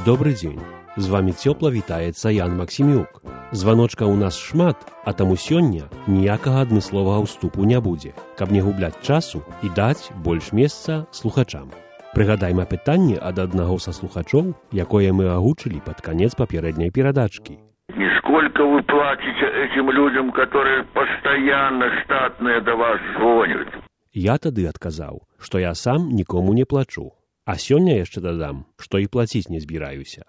Добры дзень. З вамі цёпла вітаецца Ян Максімюк. Званочка ў нас шмат, а таму сёння ніякага адмысловага ўступу не будзе, каб не губляць часу і даць больш месца слухачам. Прыгадайма пытанне ад аднаго са слухачоў, якое мы агучылі пад канец папярэдняй перадачкі. И сколько вы платите этим людям, которые постоянно штатные до вас звонят? Я тады адказаў, што я сам нікому не плачу. А сёння яшчэ дадам, што і плаціць не збіраюся.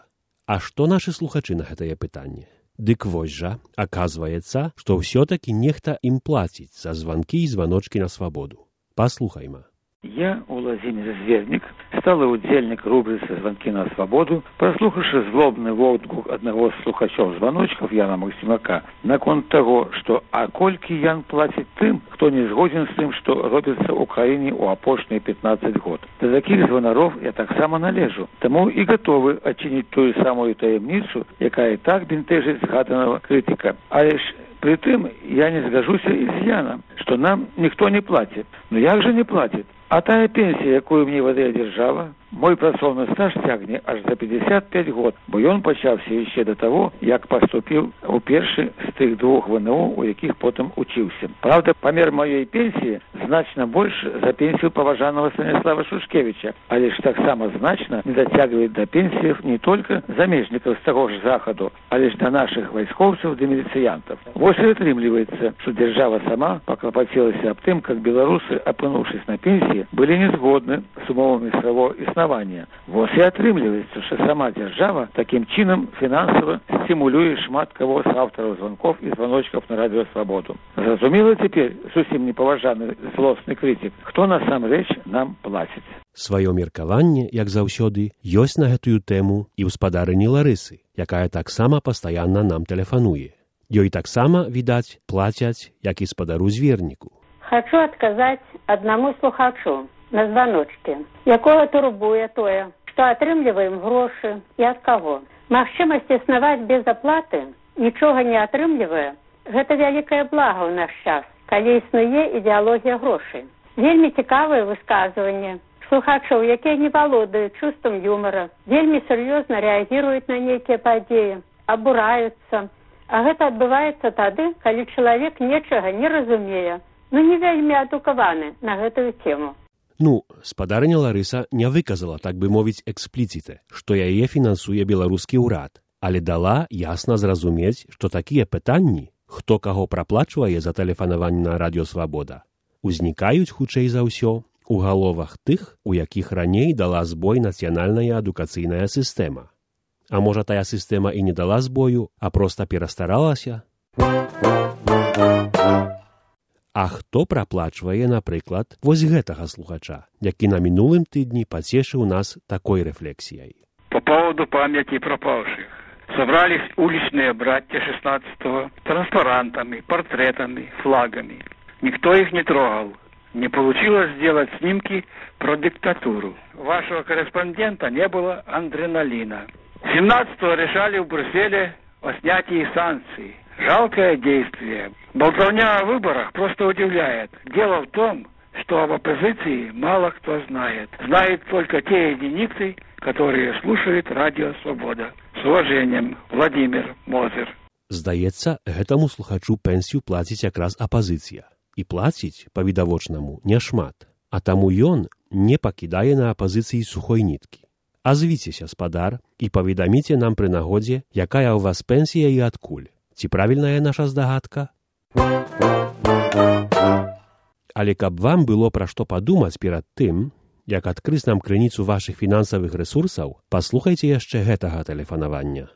А што нашы слухачы на гэтае пытанне? Дык вось жа, аказваецца, што ўсё-такі нехта ім плаціць за званкі і званочкі на свабоду. Паслухайма. Я, Владимир Зверник, сталый удзельник рубрицы «Звонки на свободу», прослухавши злобный водгук одного з слухачов звоночков Яна Максимака наконт того, что а колькі Ян платит тым, кто не згоден с тым, что робится в Украине у апошние 15 год. До таких звонаров я так само належу, тому и готовы отчинить ту самую таємницю, яка і так бентежить згаданого критика. Але ж при тым я не згажуся і з Яном, что нам никто не платит. Но як же не платит? А тая пенсія, якую мне выдае дзяржава, мой працоўны стаж цягне аж за 55 год, бо ён пачаўся яшчэ до того, як паступіў у першы з тых двух ВНУ, у якіх потым учыўся. Правда, памер маёй пенсіі значна больш за пенсію паважанага Станіслава Шушкевича, але ж таксама значна не дацягвае да пенсіяў не толькі замежнікаў з таго ж захаду, але ж да нашых вайскоўцаў ды міліцыянтаў. Вось і атрымліваецца, што дзяржава сама паклапацілася аб тым, как беларусы, апынуўшись на пенсіі, были не згодны з умовамі свайго існавання. Вось і атрымліваецца, што сама дзяржава такім чынам фінансава стимулюе шмат каго з аўтараў званков і званочкаў на радыё Свабоду. Зразумела цяпер зусім непаважаны злосны крытык, хто насамрэч нам плаціць. Сваё меркаванне, як заўсёды, ёсць на гэтую тэму і ў спадарыні Ларысы, якая таксама пастаянна нам тэлефануе. Ёй таксама, відаць, плацяць, як і спадару Зверніку. Хочу адказаць аднаму слухачу на званочке, якога турбуе тое, што атрымліваем грошы і ад каго. Магчымасць існаваць без аплаты, нічога не атрымлівае, гэта вялікае блага ў наш час, калі існуе ідэалогія грошай. Вельмі цікавае высказванне слухачоў, якія не валодаюць чувствам юмора, вельмі сур'ёзна рэагіруюць на нейкія падзеі, абураюцца. А гэта адбываецца тады, калі чалавек нечага не разумее, не вельмі адукаваны на гэтую тему. Спадарыня Ларыса не выказала, так бы мовіць, экспліцite, што яе фінансуе беларускі ўрад, але дала ясна зразумець, што такія пытанні, хто каго праплачвае за тэлефанаванне на радыё Свабода, узнікаюць хутчэй за ўсё у галовах тых, у якіх раней дала збой нацыянальная адукацыйная сістэма. А можа, тая сістэма і не дала збою, а проста перастаралася? А хто праплачвае, напрыклад, вось гэтага слухача, які на мінулым тыдні пацешыў нас такой рэфлексіяй? По поводу памяти пропавших. Собрались уличные братья 16-го транспарантами, портретами, флагами. Никто их не трогал. Не получилось сделать снимки про диктатуру. Вашего корреспондента не было адреналина. 17-го решали в Брюсселе о снятии санкций. Жалкое действие. Болтовня о выборах просто удивляет. Дело в том, что об оппозиции мало кто знает. Знают только те единицы, которые слушают радио «Свобода». С уважением, Владимир Мозер. Здаецца, гэтаму слухачу пенсію плаціць якраз апазіцыя. І плаціць, па-відавочнаму, няшмат. А таму ён не пакідае на апазіцыі сухой ніткі. Азвіцеся, спадар, і паведаміце нам пры нагодзе, якая ў вас пенсія і адкуль. Ці правільная наша здагадка? Але каб вам было пра што падумаць перад тым, як адкрыць нам крыніцу вашых фінансавых рэсурсаў, паслухайце яшчэ гэтага тэлефанавання.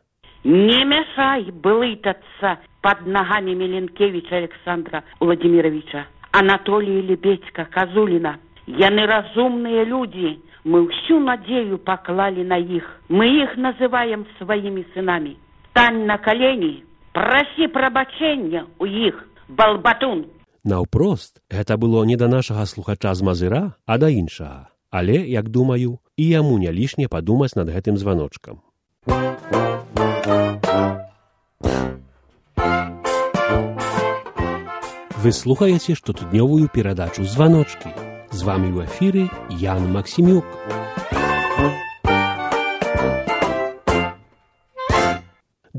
Не мешай блытаться под ногами Миленкевича Александра Владимировича, Анатолия Лебедька, Козулина. Яны разумные люди, мы всю надею поклали на их. Мы их называем своими сынами. Стань на колени, проси прабачэння у іх, балбатун. Наўпрост, гэта было не да нашага слухача з Мазыра, а да іншага. Але, як думаю, і яму не лішне падумаць над гэтым званочкам. Вы слухаеце штотыднёвую перадачу «Званочкі». З вамі ў эфіры Ян Максімюк.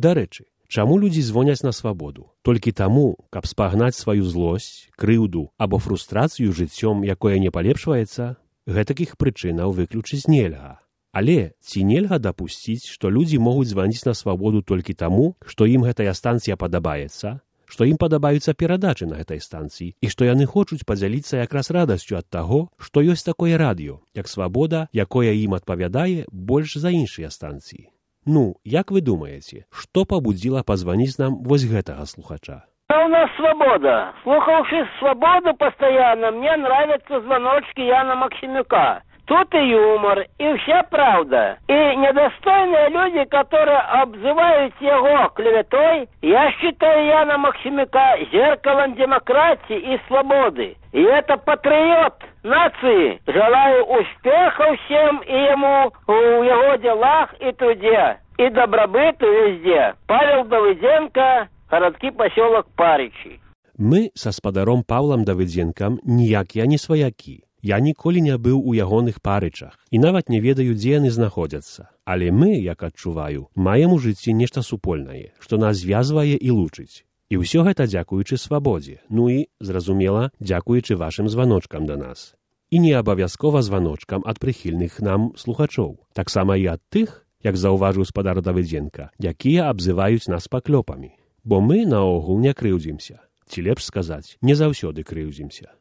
Дарэчы, чаму людзі звоняць на свабоду? Толькі таму, каб спагнаць сваю злосць, крыўду або фрустрацыю жыццём, якое не палепшваецца? Гэтакіх прычынаў выключыць нельга. Але ці нельга дапусціць, што людзі могуць званіць на свабоду толькі таму, што ім гэтая станцыя падабаецца, што ім падабаюцца перадачы на гэтай станцыі і што яны хочуць падзяліцца якраз радасцю ад таго, што ёсць такое радыё, як свабода, якое ім адпавядае больш за іншыя станцыі. Ну, як вы думаеце, што пабудзіла пазваніць нам вось гэтага слухача? А у нас свобода. Слухавши свободу постоянно, мне нравятся звоночки Яна Максимюка. Тут и юмор, и вся правда. И недостойные люди, которые обзывают его клеветой, я считаю Яна Максимюка зеркалом демократии и свободы. И это патриот нации. Желаю успехов всем и ему в его делах и труде. И добробыту везде. Павел Давыденко, городский поселок Паричи. Мы са спадаром Павлам Давыдзенкам ніякія не сваякі. Я ніколі не быў у ягоных Парычах і нават не ведаю, дзе яны знаходзяцца. Але мы, як адчуваю, маем у жыцці нешта супольнае, што нас звязвае і лучыць. І ўсё гэта дзякуючы свабодзе, ну і, зразумела, дзякуючы вашым званочкам да нас. І не абавязкова званочкам ад прыхільных нам слухачоў. Таксама і ад тых, як заўважыў спадар Давыдзенка, якія абзываюць нас паклёпамі. Бо мы наогул не крыўдзімся. Ці лепш сказаць, не заўсёды крыўдзімся.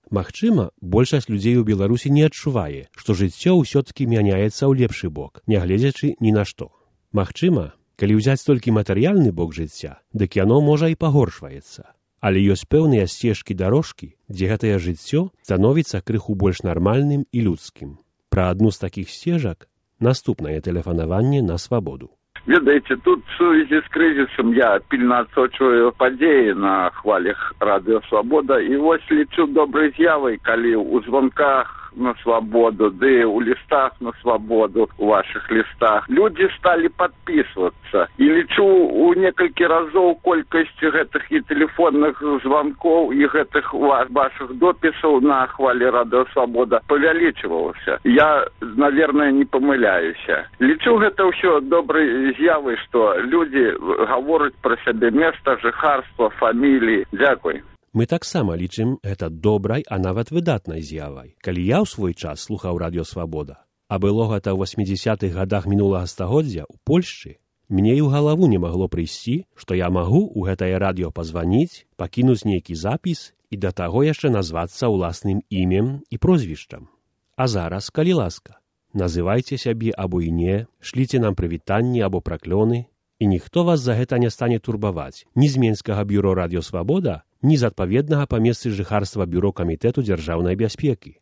Магчыма, большасць людзей у Беларусі не адчувае, што жыццё ўсё-ткі мяняецца ў лепшы бок, нягледзячы ні на што. Магчыма, калі ўзяць толькі матэрыяльны бок жыцця, дык яно можа і пагоршваецца. Але ёсць пэўныя сцежкі-дарожкі, дзе гэтае жыццё становіцца крыху больш нармальным і людскім. Пра адну з такіх сцежак наступнае тэлефанаванне на свабоду. Ведаеце, тут в сувязі з крызісам я пільна адсочваю падзеі на хвалях радыё «Свабода» і вось лічу добрай з'явай, калі ў звонках на свабоду, ды ў лістах на свабоду, у вашых лістах, людзі сталі падпісвацца. І лічу у некалькі разоў колькасць гэтых і тэлефонных званкоў, і гэтых вашых допісаў на хвалі радыё «Свабода» павялічвалася. Я, наверное, не памыляюся. Лічу гэта ўсё добрай з'явай, што людзі гавораць пра сябе места, жыхарства, фаміліі. Дзякуй. Мы таксама лічым гэта добрай, а нават выдатнай з'явай. Калі я ў свой час слухаў радыё «Свабода», а было гэта ў 80-х гадах мінулага стагоддзя ў Польшчы, мне і ў галаву не магло прыйсці, што я магу ў гэтае радыё пазваніць, пакінуць нейкі запіс і да таго яшчэ назвацца ўласным імем і прозвішчам. А зараз, калі ласка, называйце сябе або і не, шліце нам прывітанні або праклёны, і ніхто вас за гэта не стане турбаваць ні з Менскага бюро радыё «Свабода», ні з адпаведнага па месцы жыхарства бюро камітэту дзяржаўнай бяспекі.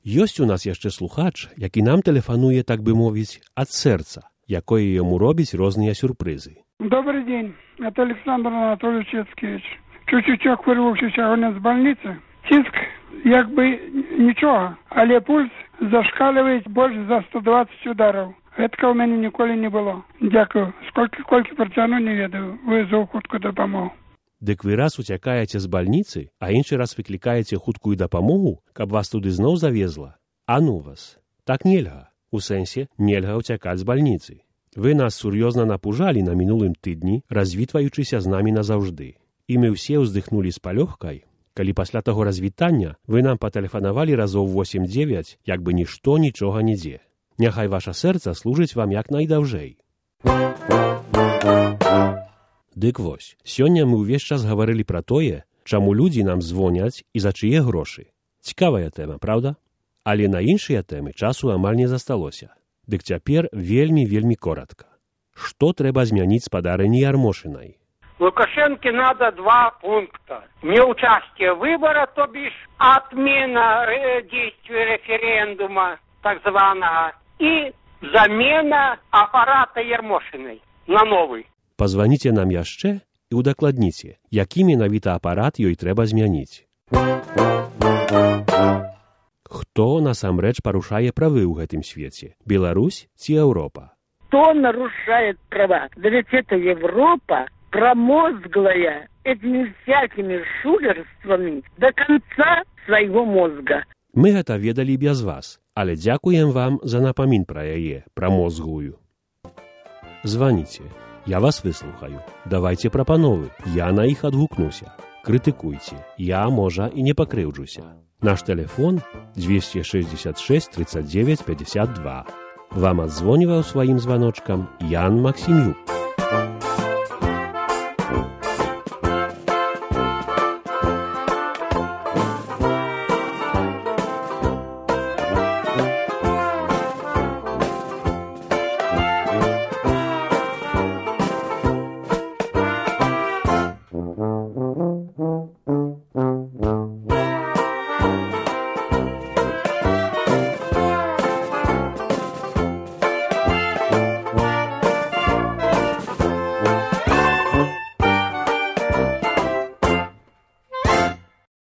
Ёсць у нас яшчэ слухач, які нам тэлефануе, так бы мовіць, ад сэрца, якое яму робіць розныя сюрпрызы. Добрый день, это Александр Анатольевич Яцкевич. Чуть-чуть вырваўся сягоння з бальніцы. Ціск як бы нічога, але пульс зашкальвае больш за 120 удараў. Гэтага ў мяне ніколі не было. Дзякую. Колькі працяну, не ведаю. Вызоў хуткую дапамогу. Дык вы раз уцякаеце з бальніцы, а іншы раз выклікаеце хуткую дапамогу, каб вас туды зноў завезла? А ну вас. Так нельга. У сэнсе, нельга уцякаць з бальніцы. Вы нас сур'ёзна напужалі на мінулым тыдні, развітваючыся з намі назаўжды. І мы ўсе ўздыхнулі з палёгкай, калі пасля таго развітання вы нам патэлефанавалі разоў 8-9, як бы нішто нічога нідзе. Няхай ваша сэрца служыць вам як найдаўжэй. Дык вось, сёння мы ўвесь час гаварылі пра тое, чаму людзі нам звоняць і за чые грошы. Цікавая тэма, праўда? Але на іншыя тэмы часу амаль не засталося. Дык цяпер вельмі коротка. Што трэба змяніць спадарыні Ярмошынай? Лукашенко надо 2 пункта. Неучастие выбора, то бишь отмена действия референдума, так званого, и замена аппарата Ярмошиной на новый. Пазваніце нам яшчэ і удакладніце, які менавіта апарат ёй трэба змяніць. Хто насамрэч парушае правы ў гэтым свеце? Беларусь ці Еўропа? Кто нарушает права? Да ведь это Европа, промозглая этими всякими шулерствами до конца своего мозга. Мы гэта ведалі без вас, Але дзякуем вам за напамін пра яе, пра мозгую. Званіце, я вас выслухаю. Давайце прапановы, я на іх адгукнуся. Крытыкуйце, я, можа, і не пакрыўджуся. Наш тэлефон 266 39 52. Вам адзвоніваў сваім званочкам Ян Максімюк.